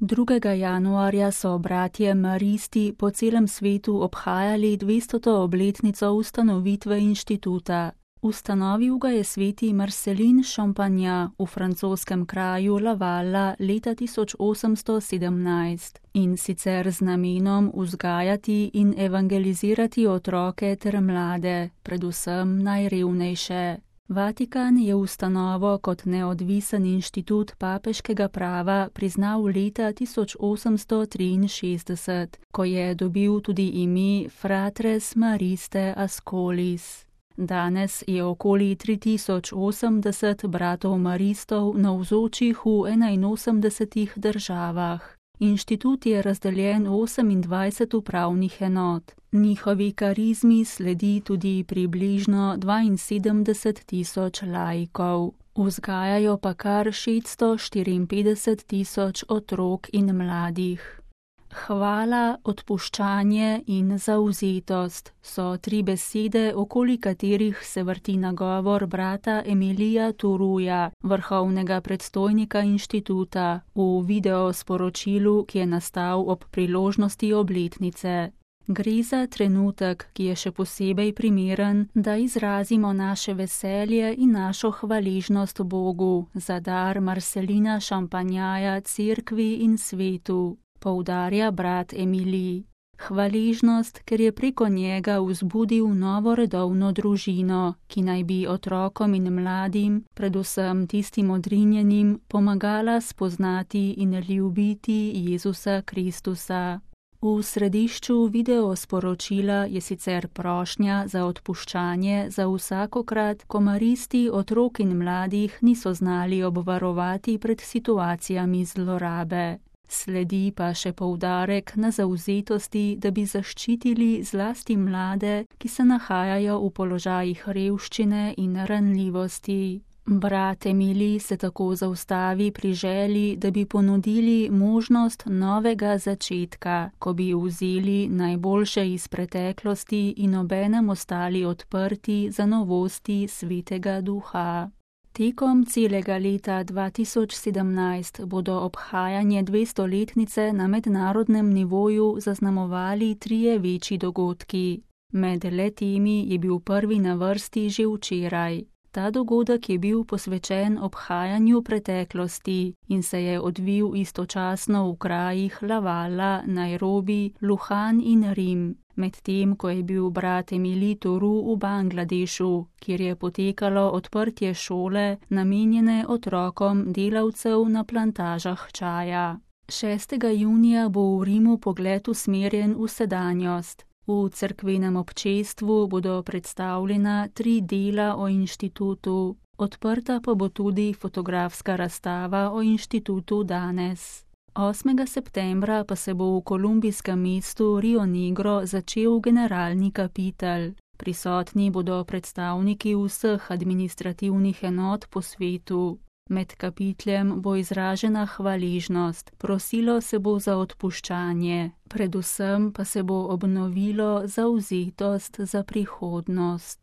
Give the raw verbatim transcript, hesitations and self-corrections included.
drugega januarja so bratje maristi po celem svetu obhajali dvestoto obletnico ustanovitve inštituta. Ustanovil ga je sveti Marcelin Champagnat v francoskem kraju Lavala leta tisoč osemsto sedemnajst in sicer z namenom vzgajati in evangelizirati otroke ter mlade, predvsem najrevnejše. Vatikan je ustanovo kot neodvisen inštitut papeškega prava priznal leta tisoč osemsto triinšestdeset, ko je dobil tudi ime Fratres Mariste Ascolis. Danes je okoli tri tisoč osemdeset bratov maristov navzočih v enainosemdesetih državah. Inštitut je razdeljen v osemindvajset upravnih enot. Njihovi karizmi sledi tudi približno dvainsedemdeset tisoč laikov. Vzgajajo pa kar šeststo štiriinpetdeset tisoč otrok in mladih. Hvala, odpuščanje in zavzetost so tri besede, okoli katerih se vrti nagovor brata Emilija Turuja, vrhovnega predstojnika inštituta, v videosporočilu, ki je nastal ob priložnosti obletnice. Gre za trenutek, ki je še posebej primeren, da izrazimo naše veselje in našo hvaležnost Bogu za dar Marcelina Champagnaja cerkvi in svetu, poudarja brat Emilij. Hvaležnost, ker je preko njega vzbudil novo redovno družino, ki naj bi otrokom in mladim, predvsem tistim odrinjenim, pomagala spoznati in ljubiti Jezusa Kristusa. V središču videosporočila je sicer prošnja za odpuščanje za vsakokrat, ko maristi otrok in mladih niso znali obvarovati pred situacijami zlorabe. Sledi pa še poudarek na zavzetosti, da bi zaščitili zlasti mlade, ki se nahajajo v položajih revščine in ranljivosti. Brat Emilij se tako zaustavi pri želji, da bi ponudili možnost novega začetka, ko bi vzeli najboljše iz preteklosti in obenem ostali odprti za novosti Svetega Duha. Tekom celega leta dva tisoč sedemnajst bodo obhajanje dvestoletnice na mednarodnem nivoju zaznamovali trije večji dogodki. Med le-temi je bil prvi na vrsti že včeraj. Ta dogodek je bil posvečen obhajanju preteklosti in se je odvil istočasno v krajih Lavala, Nairobi, Luhan in Rim, medtem ko je bil brat Emilij Turu v Bangladešu, kjer je potekalo odprtje šole, namenjene otrokom delavcev na plantažah čaja. šestega junija bo v Rimu pogled usmerjen v sedanjost. V cerkvenem občestvu bodo predstavljena tri dela o inštitutu, odprta pa bo tudi fotografska razstava o inštitutu danes. osmega septembra pa se bo v kolumbijskem mestu Rio Negro začel generalni kapitel. Prisotni bodo predstavniki vseh administrativnih enot po svetu. Med kapitljem bo izražena hvaležnost, prosilo se bo za odpuščanje, predvsem pa se bo obnovilo zavzetost za prihodnost.